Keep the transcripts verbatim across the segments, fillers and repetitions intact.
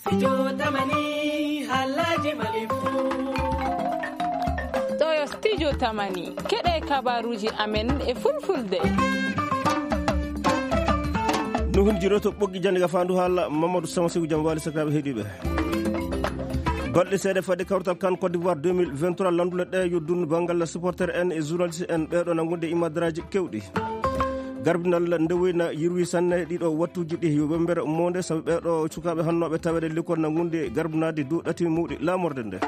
Studio Tamani, haalaaji Mali fuu. Ɗo yo Studio Tamani, keɗe kabaruuji amen e fulfulde. No hundiroto ɓoggi jannde ga faandu haala Mamadou Sama Seydou Diam Wali, sakiraaɓe heɗiiɓe. Balɗe seeɗa fade kawrital kan Côte d'Ivoire deux mille vingt-trois, lanndule ɗe yo dun banngal supporter en e journaliste en ɓeeɗo na ngonde imadaraaji kewɗi. Garbinal nde woyna yirwi sanne ɗiɗo wattuuji ɗi yo wembere monde, sabu ɓeeɗo sukaaɓe hannooɓe taweede lekkol na ngundi garbinaade dow ɗati mawɗi laamorde nde.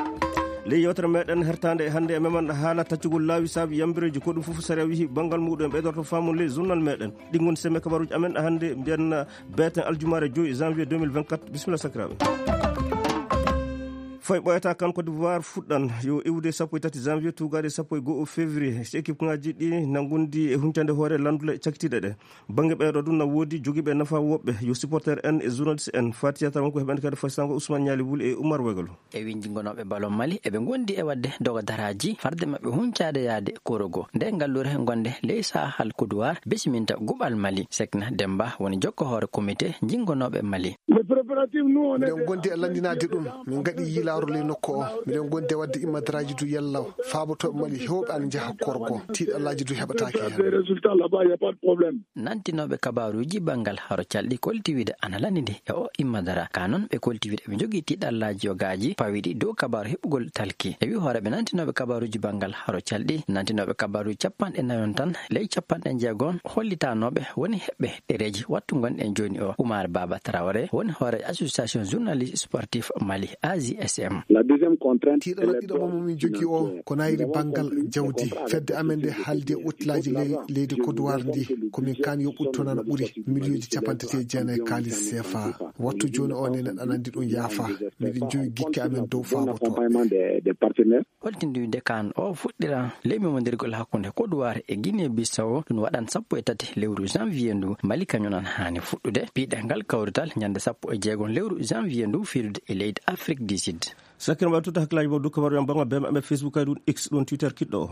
Ley yewtere meɗen hertaande hannde e meman haala taccugol laawi saabi yambireeji, ko ɗum fof sariya wihi banngal muɗum en ɓeydorto faamu ley journal meɗen. Ɗi ngoni semme kabaruuji amen hannde mbiyen beeten aljumaare joyi janvier deux mille vingt-quatre. Bisimilla sakiraaɓe. Foy ɓooyata kan Côte d'Ivoire fuɗɗan yo iwde sappo e tati janvier tuugaade sappo e go'o février. Si équipe ŋaaji ɗi na ngondi e huncande hoore lanndule cakkitiiɗe ɗe. Bannge ɓeeɗo ɗum na woodi jogiiɓe nafa woɓɓe yo supporter en e journaliste en. Fatiya tan wonko heɓande kadi faysango Ousmane Ñaali Wuli e Oumar Wegalo. E winjingonooɓe ballon Mali, eɓe ngondi e waɗde dogo daraaji farde maɓɓe huncaade yaade korogo. Nde ngallure gonde ley sahal Kodowar besiminta guɓal Mali. Sekna Demba woni jokko hoore comité jingonooɓe Mali. Miɗen gondi e lanndinaade ɗum. Min ngaɗi yiilaaru ley nokku o. Miɗen gondi e waɗde immadaraaji du yalla faabotooɓe Mali heewɓe ana njaha korgo. Tiiɗallaaji du heɓataake heen. Nantinooɓe kabaaruuji banngal haro calɗi kolti wiide ana lanndi e o immadara. Ka noon ɓe kolti wiide ɓe njogii tiiɗallaaji yogaaji pawiɗi dow kabaaru heɓugol talki. E wi hooreeɓe nantinooɓe kabaaruuji banngal haro calɗi, nantinooɓe kabaaruuji capanɗe nayon tan ley capanɗe njeegon hollitanooɓe woni heɓɓe ɗereeji wattu ngonɗen jooni o. Oumar Baba Traoré woni hoore association journaliste sportif Mali, A J S M. Tiiɗalla ɗiɗaɓo mo min jogii o ko nayri banngal jawdi. Fedde amen nde haaldi e ottilaaji ley-, leydi Kodowar ndi, ko min kaan yo ɓuttu toon ana ɓuri miliyonji capanɗe tati e jeenayi kaalis C F A. Wattu jooni o nenen aɗa anndi ɗum yaafa. Miɗen jogi gikke amen dow faabotooɓe. Holtinde wiide kaan o fuɗɗira ley memondirgol hakkunde Kodowar e Guinée Bissau, ɗum waɗan sappo e tati lewru janvier ndu. Mali kañum an haani fuɗɗude piɗal ngal kawrital ñande sappo e jeegom lewru janvier ndu fiirude e leydi Afrique du Sud. Sakkirma tuta hakkilaaji mo dukka mbaɗo yam bango bema amen Facebook kay ɗum X ɗum Twitter kiɗɗo o.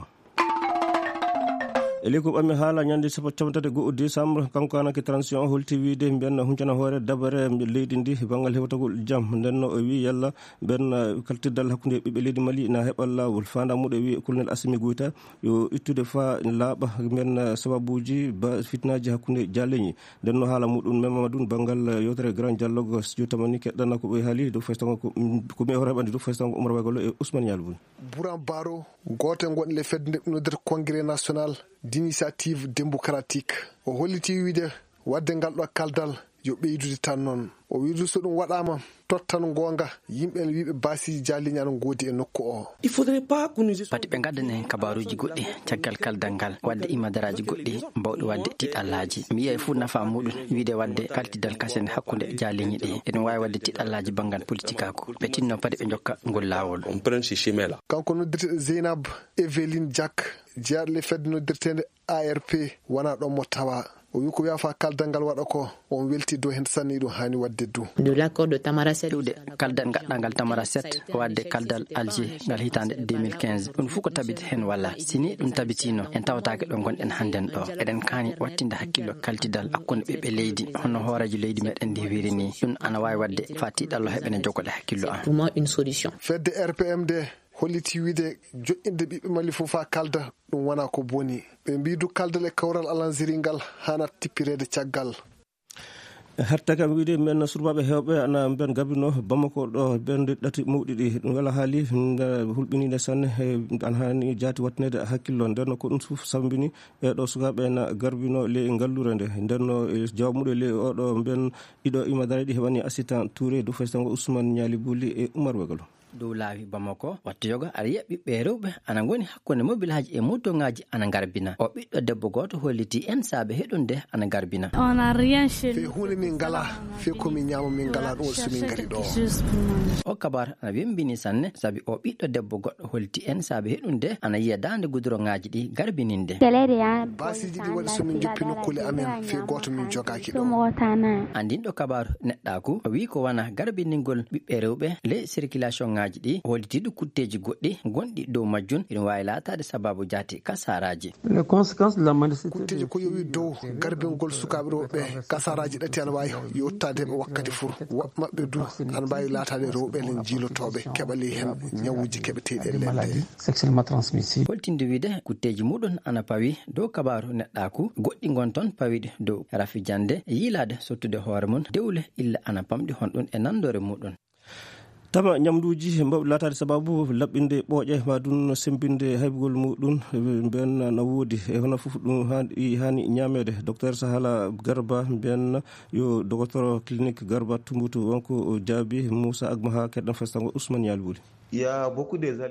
E ley ko ɓammi haala ñande sappo capanɗe tati e go'o décembre, kanko kanake transition o holti wiide mbiyanna huncana hoore dabare leydi ndi banngal hewtagol jam. Nden no o wi yalla mbiyanna kaltirdal hakkunde ɓiɓɓe leydi Mali na heɓa laawol. Faanda muɗo wi Colonel Assimi Goïta yo ittude fa laaɓa mbiyanna sababuuji ba fitnaaji hakkunde jaleñi. Nden no haala muɗum mema ɗum banngal yewtere Grand Dialogue Studio Tamani keɗɗana ko ɓe haali dow faysango ko, ko mi e hoore heɓande dow faysango Oumar Wagolo e Ousmane Ñalbun. Buran Baro, gooto e gonɗo e fedde nde noddirta Congrès National d'Initiative Démocratique, o holliti wiide waɗde ngal ɗo kaldal yo ɓeydude tan noon. O wiide so ɗum waɗaama, tottan goonga yimɓe ene wiiɓe baasiiji jaalliñi ana ngoodi e nokku o. Pati ɓe ngaddan en kabaaruuji goɗɗi caggal kaldal ngal, waɗde imadaraaji goɗɗi mbawɗi waɗde tiɗallaaji. Mi yiyay fof nafa muɗum wiide waɗde kaltidal kasen hakkunde jaalliñi ɗi. Eɗum waawi waɗde tiɗallaaji banngal politikaaku. Ɓe tinno pati ɓe njokka ngol laawol. Kanko noddirteeɗo Zeynab Evelyn Diak, jeyaaɗo ley fedde noddirteende A R P, wonaa ɗoon mo tawa. O wi ko wiyaa fa kaldal ngal waɗa ko, on weltii dow heen sanne, iɗum haani waɗde du. Iwde kaldal ngaɗɗangal Tamara sept, waɗde kaldal Alger ngal hitaande deux mille quinze. Ɗum fof ko tabiti heen walla? Si ni ɗum tabitiino, en tawataake ɗo ngonɗen hannden ɗo. Eɗen kaani wattinde hakkillo kaltidal hakkunde ɓiɓɓe leydi, hono hooreejo leydi meɗen ndi wiiri ni. Ɗum ana waawi waɗde fa tiiɗallo heɓene jogode hakkillo an. Fedde R P M nde holliti wiide joƴƴinde ɓiɓɓe Mali fof faa kalda, ɗum wonaa ko boni. Ɓe mbii du kaldal e kawral alanziri ngal haanat tippireede caggal. Hatta kam wiide men surbaaɓe heewɓe ana mben gabino Bamako ɗo bende ɗati mawɗi ɗi. Ɗum wela haali nde hulɓiniinde sanne, he, ana haani jaati wattineede hakkillo. Nden ko ɗum fof sambini ɓee ɗo sukaaɓe na garbino le ngallure nde. Nden no, e, jawmuɗo le oɗo mben ɗiɗo imadara ɗi heɓani assistant Touré du faysango Ousmane Niali Buli e Oumar Wegalo. Dow laawi Bamako, wattu yoga aɗa yiya ɓiɓɓe rewɓe ana ngoni hakkunde mobilaaji e motoŋaaji ana ngarbina. O ɓiɗɗo debbo gooto holliti en saabe heɗunde ana ngarbina. Fee huunde min ngalaa, fee ko min ñaama min ngalaa ɗum waɗi so min ngari ɗo. O kabar ana wembini sanne, sabi o ɓiɗɗo debbo goɗɗo holliti en saabe heɗunde ana yiya daande gudoroŋaaji ɗi garbininde. Baasiiji ɗi waɗi so min njoppi nokkuule amen, fee gooto min jogaaki ɗo. Anndinɗo kabaaru neɗɗaaku o wii ko wona garbiningol ɓiɓɓe rewɓe ley circulation Ŋaaji ɗi hollitiiɗo kutteeji goɗɗi gonɗi dow majjum, ina waawi laataade sabaabu jaati kasaaraaji. Kutteeji ko yowi dow garbingol sukaaɓe rewɓe kasaaraaji ɗati ana waawi yottaade ɓe wakkati fur. Woɓɓe maɓɓe du ana mbaawi laataade rewɓe ene jiilotooɓe keɓa ley heen ñawuuji keɓeteeɗi e leyɗe. Holtinde wiyde kutteeji muɗum ana pawi dow kabaaru neɗɗaaku, goɗɗi ngon toon pawiiɗi dow rafi jannde, yiilaade sottude hoore mum, dewle illa ana pamɗi honɗum e nanndoore muɗum. Tama ñamduuji mbawɗi laataade sabaabu laɓɓinde ɓooƴe, ma ɗum semmbinde haybugol muɗum, mbiyen na woodi. E hono fof ɗum haani, haani ñaameede. Docteur Sahala Garba, mbiyen yo docteur clinique Garba Tumbutu, wonko o jaabi Moussa Agmaha, keɗɗen festango Ousmane Yalwuli.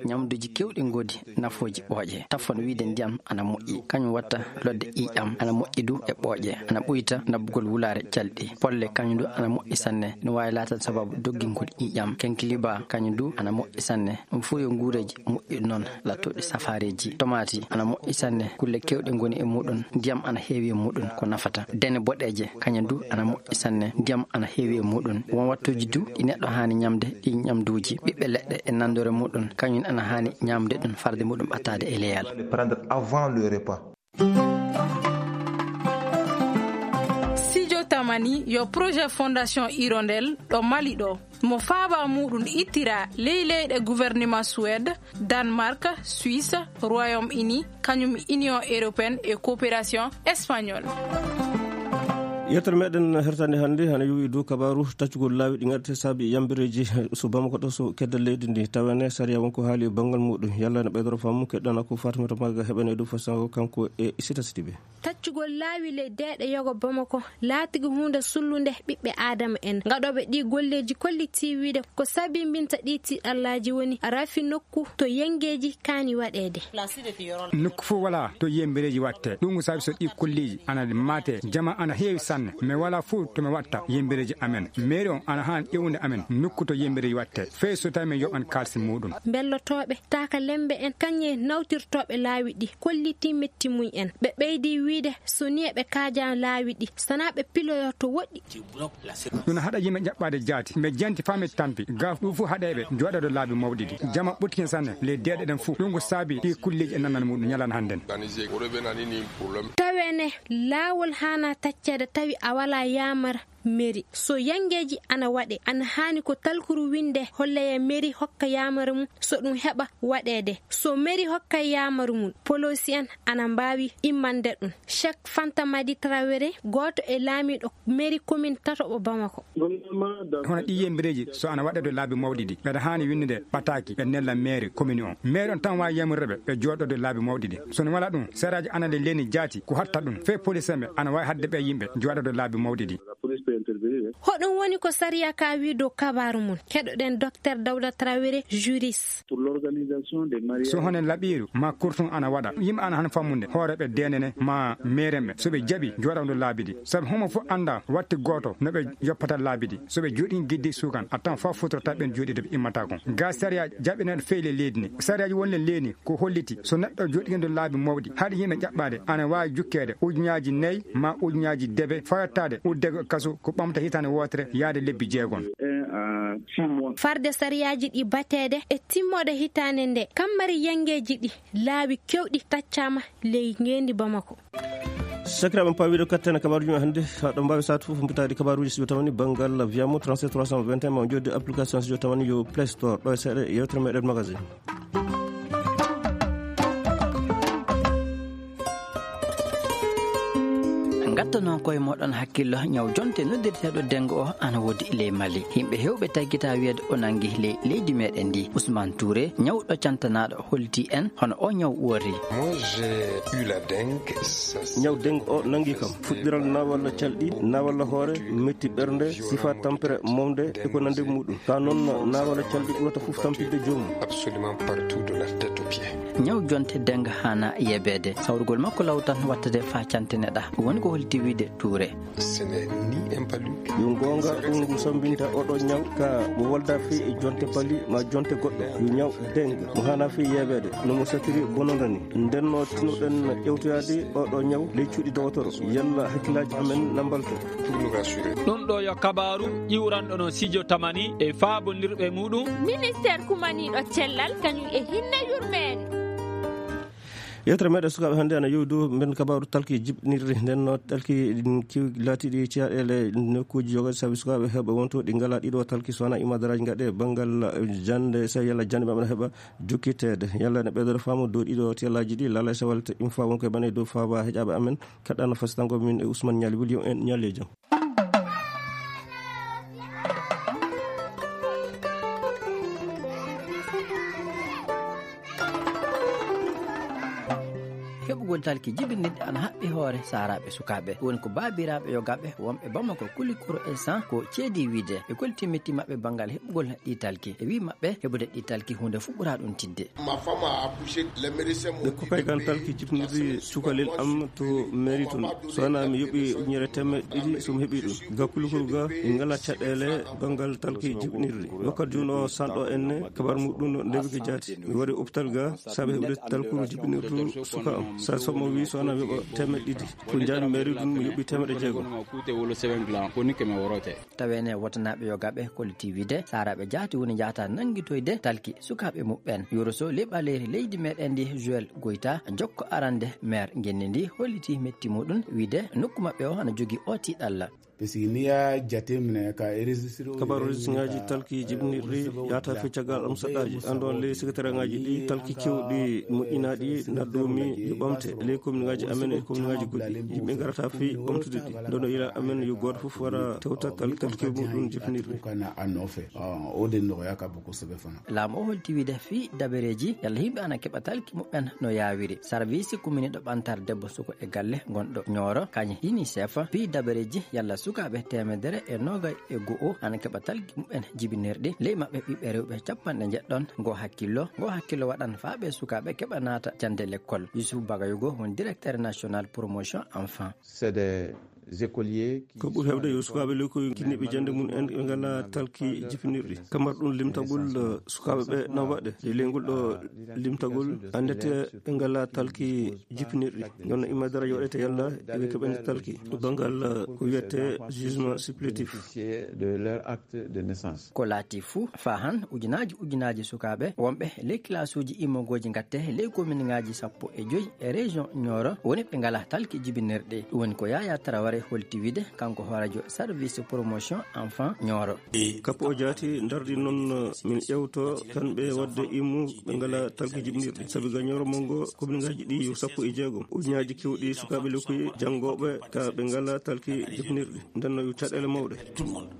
Ñamduuji keewɗi ngoodi nafooji ɓooƴe. Tafon wiyde ndiyam ana moƴƴi, kañum watta lodde ƴiiƴam, ana moƴƴi du e ɓooƴe, ana ɓuyta naɓugol wulaare calɗi. Polle kañum du ana moƴƴi sanne, no waawi laataade sababu doggingol ƴiiƴam. Kenkiliba kañum du ana moƴƴi sanne. Ɗum fof yo nguureeji moƴƴi noon, lattooɗi safaareeji. Tomaati ana moƴƴi sanne, kulle keewɗe ngoni e muɗum, ndiyam ana heewi e muɗum, ko nafata. Dene boɗeeje kañum du ana moƴƴi sanne, ndiyam ana heewi e muɗum. Won wattuuji du ɗi neɗɗo haani ñamde, ɗi ñamduuji, ɓiɓɓe leɗɗe e nanndore muɗum, kañum ana haani ñamde ɗum farde muɗum ɓattaade e leyal. Studio Tamani yo projet Fondation Hirondelle ɗo Mali ɗo. Mo faaba muɗum ittira ley leyɗe gouvernement Suède, Danemark, Suisse, Royaume-Uni, kañum Union Européenne e Coopération Espagnole. Yettere meɗen hertande hannde hana yowi dow kabaaru taccugol laawi ɗi ngaɗete saabi yambireeji so Bamako ɗo so kedde leydi ndi. Tawene sariya wonko haali e banngal muɗum. Yalla ene ɓeydoro faamu, keɗɗana ko Fatimata Maga heɓane dow fasango kanko e Sita Sidibe. Taccugol laawi ley deeɗe yogo Bamako laatigi huunde sullunde ɓiɓɓe Aadama en. Gaɗooɓe ɗii golleeji kollitii wiyde ko sabimbinta ɗii tiiɗallaaji woni rafi nokku to yengeeji kaani waɗeede. Nokku fof walaa to yembereeji waɗte. Ɗum ko sabi so ɗii kolleeji ana maate, jama ana heewi sanne. Mais walaa fof to mi waɗta yembereeji amen. Mairie on ana haan ƴeewude amen nokku to yembereeji waɗte. Fey so tawi min yoɓan kaalisi muɗum. Mbellotooɓe, taaka lembe en, kañe nawtirtooɓe laawi ɗi kollitii metti mum en. Ɓe ɓeydi wiyde so ni eɓe kaaja laawi ɗi, sanaa ɓe piloyo to woɗɗi. Ɗum haɗa yimɓe jaɓɓaade jaati. Ɓe janti faa ɓe tampi. Gaaf ɗum fof haɗa ɓe jooɗoode laabi mawɗi ɗi. Jama ɓurtike sanne ley deeɗe ɗen fof. Ɗum ko saabi ɗi kulleeji e nanal muɗum ñalana hannden. Tawene laawol haana tacceede tawi a walaa yaamar meri. So yangeeji ana waɗe, ana haani ko talkuru winde holleya meri hokka yaamar mum so ɗum heɓa waɗeede. So meri hokka yaamar mum, poloosi en ana mbaawi immande ɗum. Cheikh Fanta Madi Traoré, gooto e laamiiɗo meri komin tatoɓo Bamako. Hono ɗi yembireeji so ana waɗeede laabi mawɗi ɗi, mbeɗa haani winndude ɓataaki ɓe nella meri komini on. Meri on tan waawi yamrude ɓe, ɓe jooɗoode laabi mawɗi ɗi. So no wala ɗum, seraaji ana le leni jaati ko hatta ɗum. Fey police en ɓe ana waawi haɗde ɓe yimɓe jooɗoode laabi mawɗi ɗi. Hoɗum woni ko sariya ka wi dow kabaaru mum? Keɗoɗen Docteur Dawda Traoré, juriste. So hono laɓiiru ma kurtun ana waɗa, yimɓe ana han fammude hooreeɓe deenene ma meerenɓe so ɓe jaɓi jooɗawde laabi ɗi. Sabu homo fof annda watti gooto no ɓe yoppata laabi ɗi. So ɓe jooɗi giddi sukan, a tan fof futorta ɓen jooɗiiɓe immata kon. Ga sariya jaɓɓinaaɗo feyle leydi ni. Sariyaaji wonle leydi ko holliti so neɗɗo jooɗiiɗo laabi mawɗi, haɗi yimɓe ƴaɓɓaade, ana waawi jukkeede ujunnaaji nayi ma ujunnaaji debe, fayottaade uddego kaso ko ɓamta hitaande wootere yaade lebbi jeegom. Farde sariyaaji ɗi bateede e timmoode hitaande nde, kammari yangeeji ɗi laawi kewɗi taccaama ley ngeendi Bamako. Sakiraaɓe, paawiiɗo kattene kabaaruuji men hannde, haa ɗo mbaawi saatu fof mbitaade kabaaruuji studio tamani banngal Viamo trente-sept trois cent vingt et un, ma joddi application studio tamani yo Play Store, ɗo e seeɗa yewtere meɗen magazine. Ngatta noon koye moɗon hakkillo, ñaw jonte noddirteeɗo dengue o ana woodi ley Mali. Yimɓe heewɓe taggita wiyeede o nangi ley leydi meɗen ndi. Ousmane Touré, ñawɗo cantanaaɗo, holti en hono o ñaw uwori. Moi, j'ai eu la dengue. Ñaw dengue o nangi kam fuɗɗiral naawalla calɗi, naawalla hoore, metti ɓernde, sifa tampere mawde e ko nandi muɗum. Ka noon naawalla calɗi ɓurata fof tampinde joomum. Absolument partout de la tête aux pieds. Ñaw jonte dengue haana yebeede. Sawrugol makko law tan wattade faa canteneɗa. Woni ko holti Wide Touré. Yo goonga ɗum ngu sambinta oɗo ñaw ka mo wolda fii e jonte pali ma jonte goɗɗo. Yo ñaw dengue mo hana fii yeebeede no mo satiri bononda ni. Nden no tinuɗen ƴewtoyaade oɗo ñaw ley cuuɗi dowotoro. Yalla hakkillaaji amen na mbalto. Ɗum ɗo yo kabaaru ƴiwranɗo no Sijo Tamani e faabondirɓe muɗum. Ministeer kumaniiɗo cellal kañum e hinne yurmeende. Yewtere meɗen sukaaɓe hannde ana yowi dow mben kabaaru talki jiɓnirri. Nden no talki ɗin kiw-, laatiɗi caɗeele nokkuuji jogaade sabi sukaaɓe heɓa wonto ɗi ngala ɗiɗo talki so wona imadaraaji gaɗe banngal jannde, so yalla jannde maɓɓe no heɓa jokkiteede. Yalla ne ɓeydoɗo faamu dow ɗiɗo tiyallaaji ɗi laalay sawal te ɗum faa won koye ɓane dow faaba heƴaaɓe amen. Kaɗɗano fasitango min e Ousmane Ñaali Wuli, yo en ñalle jam. Heɓugol talki jibinirɗi ana haɓɓi hoore saaraaɓe sukaaɓe. Woni ko baabiraaɓe yogaaɓe wonɓe Bamako, Kulikoro e San ko ceedi wiide e kolti metti maɓɓe banngal heɓugol ɗi talki. E wii maɓɓe heɓude ɗi talki huunde fuɓɓuraa ɗum tidde. Ɓe kuppay kan talki jibinirɗi cukalel am to mairie tun. So wonaa mi yoɓi ujunere teemeɗɗe ɗiɗi so mi heɓi ɗum. Ga Kulikoro ga en ngala caɗeele banngal talki jibinirɗi. Wakkati juuno sanɗo en ne kabar muɗum no ndewi ko jaati. Mi wari hôpital ga sabe heɓude talkuru jibinirdu suka am. Sa somo wi so wonaa mi yoɓa teemeɗɗe ɗiɗi. Ko njaami mairie tun mi yoɓi teemeɗɗe jeegom. Tawene wotanaaɓe yogaaɓe kolliti wiide saaraaɓe jaati woni njahata nanngitoyde talki sukaaɓe muɓɓen. Yoro Sow, ley ɓaleeri leydi meɗen ndi, Joël Goyta, jokko arande maire ngenndi ndi, holliti metti muɗum wiide nokku maɓɓe o ana jogii o tiiɗalla. Parce que ni ya jateminɛ ka enregistré o kabaaru registrengaaji talki jibinirɗi yaata fii caggal am saɗɗaaji. Anndon ley secrétariatngaaji ɗi talki kewɗi moƴƴinaaɗi naddomi yo ɓamte ley commune ngaaji amen e commune ngaaji goɗɗi. Yimɓe ngarata fii ɓamtude ɗi. Ndono ila amen yo gooto fof wara tewta tal-, talki muɗum jibinirɗi. Kana a nɔfɛ. Ɔ, o de nɔgɔya ka bon kosɛbɛ fana. Laamu o holti wiide fii dabareeji yalla yimɓe ana keɓa talki muɓɓen no yaawiri. Sarviisi kumminiiɗo ɓantaare debbo, suko e galle gonɗo Ñooro, kañ UNICEF, fii dabareeji yalla sukaaɓe teemedere e noogay e go'o ana keɓa talki muɓɓen jibinirɗi. Ley maɓɓe ɓiɓɓe rewɓe capanɗe njeɗɗon. Ngo hakkillo, ngo hakkillo waɗan faa ɓe sukaaɓe keɓa naata jannde lekkol. Yusuf Bagayugo woni directeur national promotion enfant. C'est des écoliers qui ko ɓuri heewde yo sukaaɓe lekkoy kinniiɓe jannde mum en ɓe ngalaa talki jibinirɗi. Kamar ɗum limtagol, eh, sukaaɓe ɓe na waɗe. E ley ngol ɗo limtagol anndete ɓe ngalaa talki jibinirɗi. Noon imadara yoɗete yalla eɓe keɓani talki. Banngal, eh, ko wiyete jugement supplétif. De leur acte de naissance. Ko laati fuu, faa han ujunaaji ujunaaji sukaaɓe wonɓe ley kilaasuuji immogooji ngatte ley kominngaaji sappo e joy e région Nioro woni ɓe ngalaa talki jibinirɗi. Ɗum woni ko Yaya Traoré holti wiide, kanko hooreejo service promotion enfant Nioro. Kappo o jaati ndardi noon min ƴewto kanɓe waɗde immu ɓe ngalaa talki jibinirɗi. Sabi ga Nioro Mongo kominngaaji ɗi yo sappo e jeegom. Ujunaaji kewɗi sukaaɓe lekkoy janngooɓe ka ɓe ngalaa talki jibinirɗi. Nden no yo caɗeele mawɗe.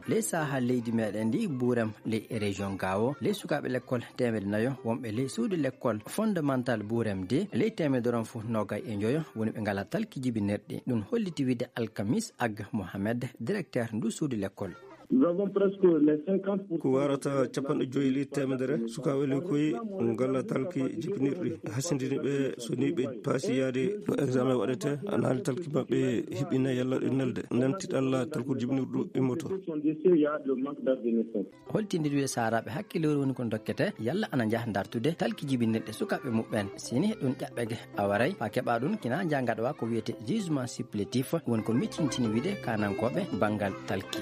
Ley sahaa leydi meɗen ndi, Buurem ley région Gaawo, ley sukaaɓe lekkol teemedde nayo wonɓe ley suudu lekkol fondamental Buurem ndi, ley teemedde ron fof noogay e njoyo woni ɓe ngalaa talki jibinirɗi. Ɗum holliti wiide Alkamis Ag Mohamed, directeur ndu suudu lekkol. Nous avons presque les cinquante pour cent. Ko warata capanɗe joyi ley teemedere sukaaɓe lekkoy ngalaa talki jibinirɗi. Hasindini ɓe so ni ɓe paasi yaade no examen waɗete, ana haali talki maɓɓe hiɓɓina yalla ɗe nelde. Nden tiɗalla talku jibinirɗu immoto. Holtindiri wiide saaraaɓe hakkiloore woni ko dokkete yalla ana njaha dartude talki jibinirɗe sukaaɓe muɓɓen. Sini ɗum ƴaɓɓege awaray faa keɓa ɗum kina njangaɗowa ko wiyete jugement supplétif, woni ko miccintini wiide kaanankooɓe banngal talki.